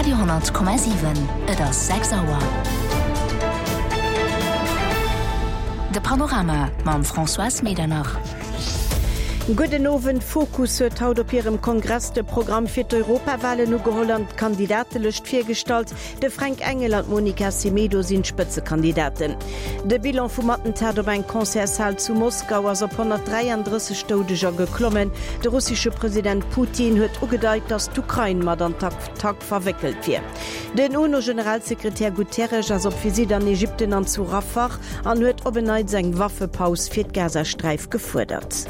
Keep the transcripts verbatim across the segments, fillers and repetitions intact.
Radio honnert Komma siwen, Et ass sechs Auer. De Panorama mam Françoise Medernach. Gudden Owend. Fokus huet haut op hirem Kongress de Programm fir d'Europawalen ugeholl an d'Kandidatelëscht virgestallt. De Fränk Engel an d'Monica Semedo sinn d'Spëtzekandidaten. De Bilan vum Attentat op eng Concertshal zu Moskau ass op honnertdräiandrësseg Doudeger geklommen. De russesche President Putin huet ugedeit, datt d'Ukrain mat an d'Attack verwéckelt wier. Den UNO-Generalsekretär Guterres ass op Visitt an Ägypten an zu Rafah an huet op en Neits eng Waffepaus fir d'Gazasträif gefuerdert.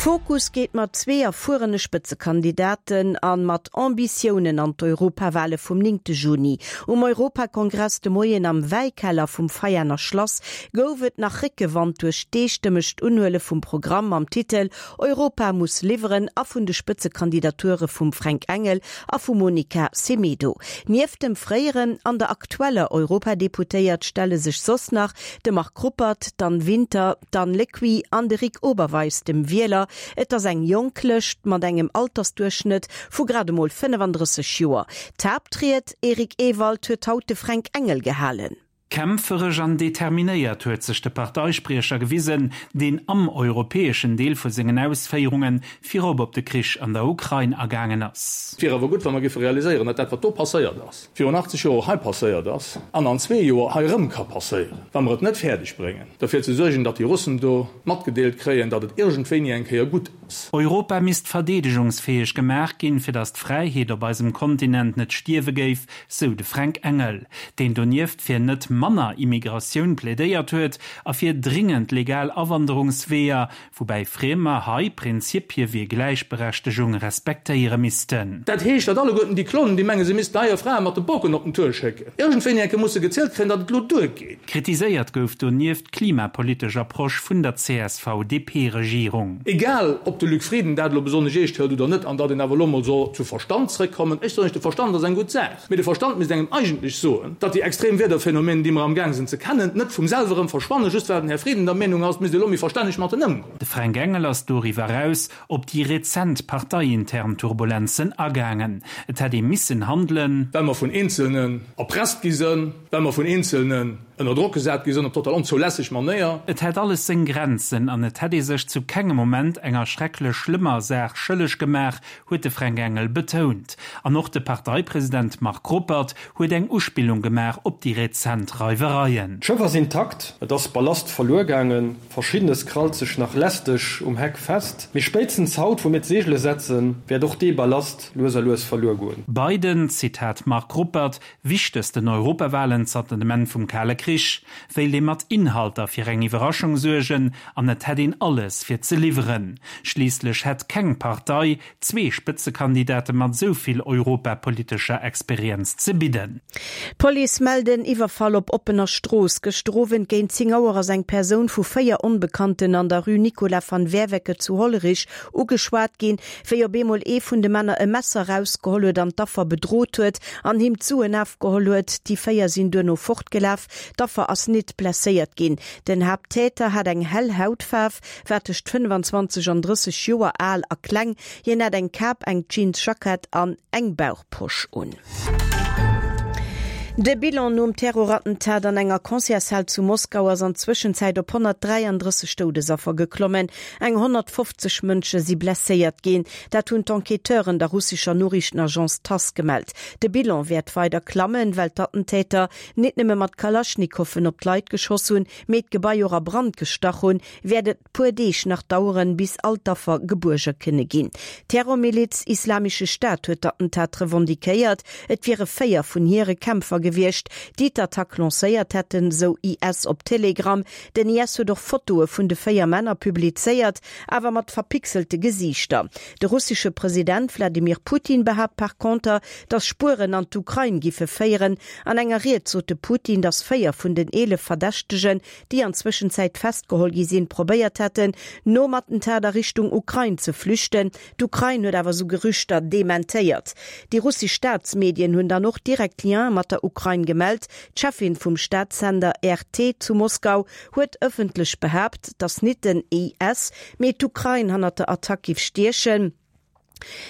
Fokus geet mat zwee erfuerene Spëtzekandidaten an mat Ambitiounen an d'Europawale vum néngte Juni. Um Europakongress de Moien am Wäikeller vum Veianer Schlass gouf et nach Réckewand duerch d'eestëmmegt Unhuele vum Programm mam Titel Europa muss liwweren a vun de Spëtzekandidature vum Fränk Engel a vum Monica Semedo. Nieft dem fréieren an der aktueller Europadeputéiert stelle sech soss nach de Marc Ruppert, d'Anne Winter, d'Anne Lecuit an de Rick Oberweis dem Wieler. Et ass eng jonk Lëscht mat engem Altersduerchschnëtt vu grad emol fënnefandrësseg Joer. D'Haaptried, Eric Ewald, huet haut de Fränk Engel gehalen. Kämpferesch an determinéiert huet sech de Parteispriecher gewisen, deen am europäeschen Deel vu sengen Ausféierunge virop op de Krich an der Ukrain agaangen ass. Et wier awer gutt, wa mer géife realiséieren, datt dat, wat do passéiert ass, virun achtzeg Joer och hei passéiert ass an an zwee Joer hei erëm ka passéieren, wa mer et net fäerdeg bréngen, derfir ze suergen, datt déi Russen do matgedeelt kréien, datt et iergendwéini eng Kéier gutt ass. Europa misst verdeedegungsfäeg gemaach ginn, fir datt d'Fräiheet op eisem Kontinent net stierwe géif, sou de Fränk Engel, deen donieft fir net manner Immigratioun plädéiert huet a fir dringend legal Awanderungsweeër, woubäi Friemer hei Prinzipie wéi Gläichberechtegung respektéiere missten. Dat heescht, datt alleguerten déi Klonen, déi mengen, se missten hei hir Frae mat de Boken op den Tour schécken, iergendwéini enke musse gezielt kréien, datt et elo duergeet. Kritiséiert gouf donieft d'klimapolitesch Approche vun der C S V D P-Regierung. Egal, ob de Luc Frieden dat elo besonnesch eescht hëlt oder net, an datt een awer elo mol soll zu Verstand zréckkommen. Ech soen lech, de Verstand ass eng gutt Saach, mee de Verstand misst engem eigentlech soen, datt déi extrem Wiederphänomenen, déi mer amgaang sinn ze kennen, net vum selwer erëm verschwannen, just well den Här Frieden der Meenung ass, et misst ee elo méi verstänneg mat en ëmgoen. De Fränk Engel ass doriwwer eraus op déi rezent parteiintern Turbulenzen agaangen. Et hätt ee missen handelen. Well mer vun Eenzelnen erpresst gi sinn, well mer vun Eenzelnen ënner Drock gesat gi sinn op total onzoulässeg Manéier. Et hätt alles seng Grenzen an et hätt ee sech zu kengem Moment enger schrecklech schlëmmer Saach schëlleg gemaach, huet de Fränk Engel betount. An och de Parteipresident Marc Ruppert huet eng Uspillung gemaach op déi rezent Reiwereien. D'Schëff ass intakt, et ass Ballast verluer gaangen, Verschiddenes krallt sech nach lästeg um Heck fest, mee spéitstens haut, wou mir d'Seegele setzen, wäert och dee Ballast lues a lues verluer goen. Bei den, Zitat Marc Ruppert, wichtegsten Europawalen zanter dem Enn vum Kale Krich wéilt ee mat Inhalter fir eng Iwwerraschung suergen an et hätt een alles fir ze liwweren. Schliisslech hätt keng Partei zwee Spëtzekandidate mat esou vill europapolitescher Experienz ze bidden. D'Police mellt en Iwwerfall op oppener Strooss. Gëschter Owend géint zéng Auer ass eng Persoun vu véier Onbekannten an der Rue Nicolas van Werveke zu Hollerich ugeschwat ginn, wéi op eemol ee vun de Männer e Messer erausgeholl huet an d'Affer bedrot huet an him d'Suen ofgeholl huet. Déi véier sinn duerno fortgelaf. D'Affer ass net blesséiert ginn. Den Haapttäter hat eng hell Hautfaarf, war tëscht fënnefenzwanzeg an drësseg Joer al a kleng. Hien hat eng Kap, eng Jeansjackett an eng Bauchposch un. De Bilan nom Terrorattentat an enger Concertshal zu Moskau ass an Zwëschenzäit op honnertdräiandrësseg Doudesaffer geklommen. Eng honnertfofzeg Mënsche si blesséiert ginn. Dat hunn d'Enquêteuren der russescher Noriichtenagence Tass gemellt. De Bilan wäert weider klammen, well d'Attentäter net nëmme mat Kalaschnikoffen op d'Leit geschoss hunn, mee d'Gebai och a Brand gestach hunn, wäert et puer Deeg nach daueren, bis all d'Affer gebuerge kënne ginn. D'Terrormiliz Islamesche Staat huet d'Attentat revendiquéiert. Et wiere véier vun hire Kämpfer gewiescht, déi d'Attack lancéiert hätten, sou I S op Telegram. Den I S huet och Fotoe vun de véier Männer publizéiert, awer mat verpixelte Gesiichter. De russesche President Wladimir Putin behaapt par konter, datt Spueren an d'Ukrain giffe féieren. An enger Ried sot de Putin, datt véier vun den eelef Verdächtegen, déi an Zwëschenzäit festgeholl gi sinn, probéiert hätten, nom Attentat a Richtung Ukrain ze flüchten. D'Ukrain huet awer sou Gerüchter dementéiert. Déi russesch Staatsmedien hunn dann och direkt Lien mat der Ukrain gemellt. D'Cheffin vum Staatssender R T zu Moskau huet ëffentlech behaapt, datt net den I S, mee d'Ukrain hannert der Attack giff stiechen.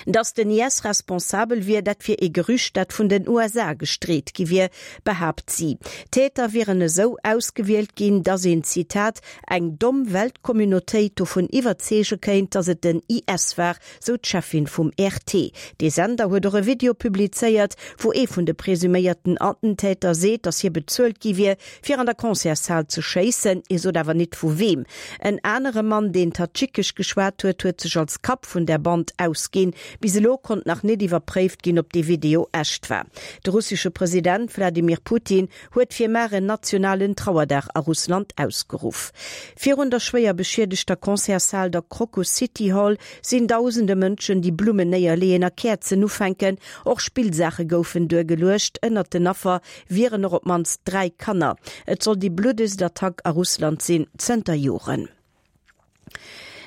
Datt den I S responsabel wier, dat wier ee Gerücht, dat vun den U S A gestreet gi wier, behaapt si. D'Täter wieren esou ausgewielt ginn, datt een, Zitat, eng domm Weltcommunautéit dovun iwwerzeege kéint, datt et den I S war, sou d'Cheffin vum R T. Dee Sender huet och e Video publizéiert, wou ee vun de presuméierten Attentäter seet, datt hie bezuelt gi wier, fir an der Concertshal ze schéissen. Hie sot awer nit vu weem. En anere Mann, deen Tadschikesch geschwat huet, huet sech als Kapp vun der Band ausginn. Bis elo konnt nach net iwwerpréift ginn, ob dee Video echt war. De russesche President Wladimir Putin huet fir mar en nationalen Trauerdag a Russland ausgeruff. Virun der schwéier beschiedegter Concertshal, der Crocus City Hall, sinn dausende Mënschen, déi Blummen néierleeën a Käerzen ufänken. Och Spillsaache goufen duergeluecht. Ënnert den Affer wieren och op d'mannst dräi Kanner. Et soll déi bluddegst Attack a Russland sinn zënter Joren.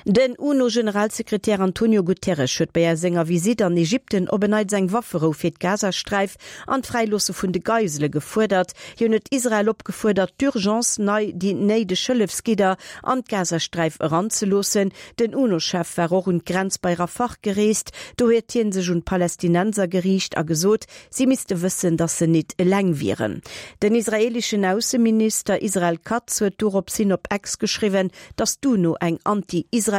Den UNO-Generalsekretär Antonio Guterres huet bei senger Visitt an Ägypten op en Neits eng Wafferou fir d'Gazasträif an d'Fräiloosse vun de Geisele gefuerdert. Hien huet Israel opgefuerdert, d'urgence nei déi néideg Hëllefsgidder an d'Gazasträif eranzeloossen. Den UNO-Chef war och un d'Grenz bei Rafah gereest. Do huet hien sech un d'Palästinenser geriicht a gesot, si misste wëssen, datt se net eleng wieren. Den israeeleschen Ausseminister Israel Katz huet doropshin op X geschriwwen, datt d'UNO eng anti-israeelesch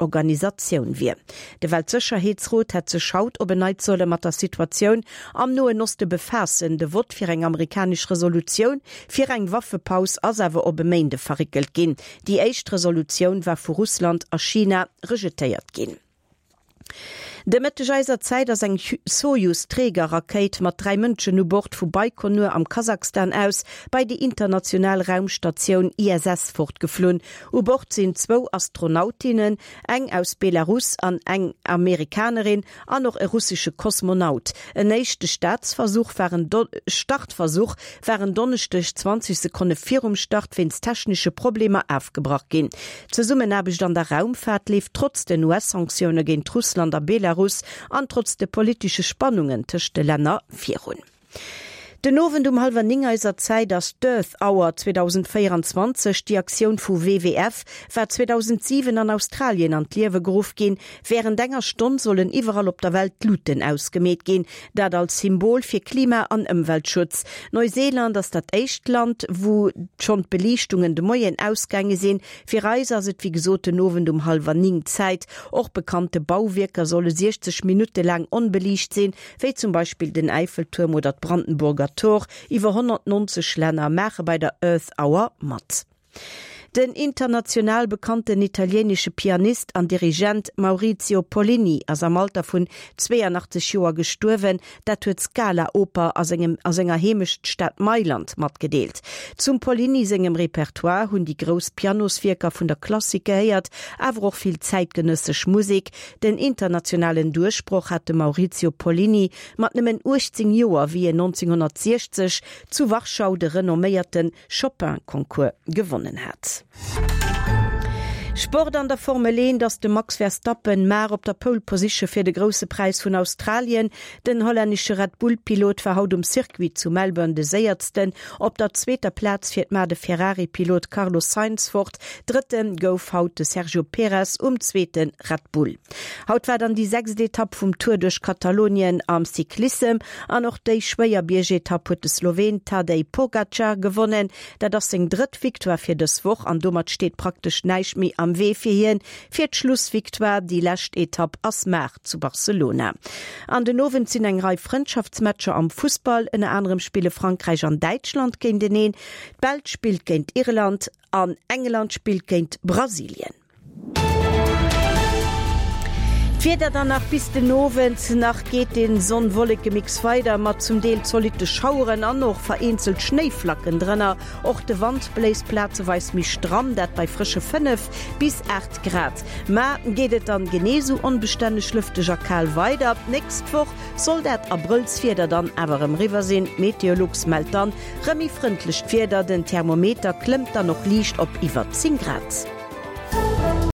Organisatioun wier. De Weltsécherheetsrot hätt sech haut op en Neits solle mat der Situatioun am Noen Oste befaassen. De Vott fir eng amerikanesch Resolutioun fir eng Waffepaus ass awer op e Méinde verréckelt ginn. Déi éischt Resolutioun war vu Russland a China rejetéiert ginn. De Mëtteg eiser Zäit ass eng Sojus-Trägerrakéit mat dräi Mënschen u Bord vu Baikonur am Kasachstan aus bei déi international Raumstatioun I S S fortgeflunn. U Bord sinn zwou Astronautinnen, eng aus Belarus an eng Amerikanerin, an och e russesche Kosmonaut. En éischte Staatsversuch war en Startversuch war en Donneschdeg zwanzeg Sekonne virum Start wéinst technesche Problemer ofgebrach ginn. D'Zesummenaarbecht an der Raumfaart leeft trotz den U S-Sanktioune géint Russland a Belarus an trotz de politesche Spannungen tëscht de Länner virun. Den Owend um hallwer néng eiser Zäit ass d'Earth Hour zweedausendvéieranzwanzeg. Déi Aktioun vu W W F war zweedausentsiwen an Australien an d'Liewe geruff ginn. Wärend enger Stonn sollen iwwerall op der Welt d'Luuten ausgemeet ginn, dat als Symbol fir Klima an Ëmweltschutz. Neuseeland ass dat éischt Land, wou schonn d'Beliichtungen de Moien ausgaange sinn. Fir eis ass et wéi gesot den Owend um hallwer néng Zäit. Och bekannte Bauwierker solle siechzeg Minutte laang onbeliicht sinn, wéi zum Beispill den Eiffeltuerm oder d'Brandenburger Tor. Iwwer honnertnonzeg Länner maache bei der Earth Hour mat. Den international bekannten italieenesche Pianist an Dirigent Maurizio Pollini ass am Alter vun zweeanachtzeg Joer gestuerwen, dat huet d'Scala-Oper a sengem a senger Heemechtstad Mailand matgedeelt. Zum Pollini sengem Repertoire hunn déi grouss Pianoswierker vun der Klassik gehéiert, awer och vill zäitgenëssesch Musek. Den internationalen Duerchbroch hat de Maurizio Pollini mat nëmmen uechtzéng Joer, wéi en nonzénghonnertsiechzeg zu Warschau de renomméierte Chopin-Concours gewonnen hat. Sport An der Formel eent ass de Max Verstappen mar op der Pole Position fir de Grousse Präis vun Australien. Den hollännesche Red Bull Pilot war haut um Circuit zu Melbourne de séiersten. Op der zweeter Plaz fiert mar de Ferrari Pilot Carlos Sainz fort. Drëtte gouf haut de Sergio Perez um zweete Red Bull. Haut war dann déi sechst Etapp vum Tour duerch Katalonien am Cyclissem an och déi schwéier Biergetapp huet de Sloween Tadej Pogacar gewonnen. Dat ass seng drëtt Victoire fir dës Woch an domat steet praktesch näischt méi am Wee fir hien fir d'Schlussvictoire. Déi lescht Etapp ass mar zu Barcelona. An den Owend sinn eng Rei Frëndschaftsmatcher am Fussball, ënner anerem spille Frankräich an Däitschland géinteneen, d'Belsch spillt géint Irland an England spillt géint Brasilien. D'Wieder dann nach bis den Owend nach geet den Sonn-Wollekemix weider mat zum Deel zolitte Schaueren an och vereenzelt Schnéiflacken drënner. Och de Wand bléist plazeweis méi stramm, dat bei frësche fënnef bis aacht Grad. Mar geet et dann genee sou onbestänneg lëfteg a kal weider. D'nächst Woch soll dat Abrëllswieder dann awer erëm eriwwer sinn. Meteolux mellt dann rëm méi frëndlecht Wieder, den Thermometer klëmmt dann och liicht op iwwer zéng Grad.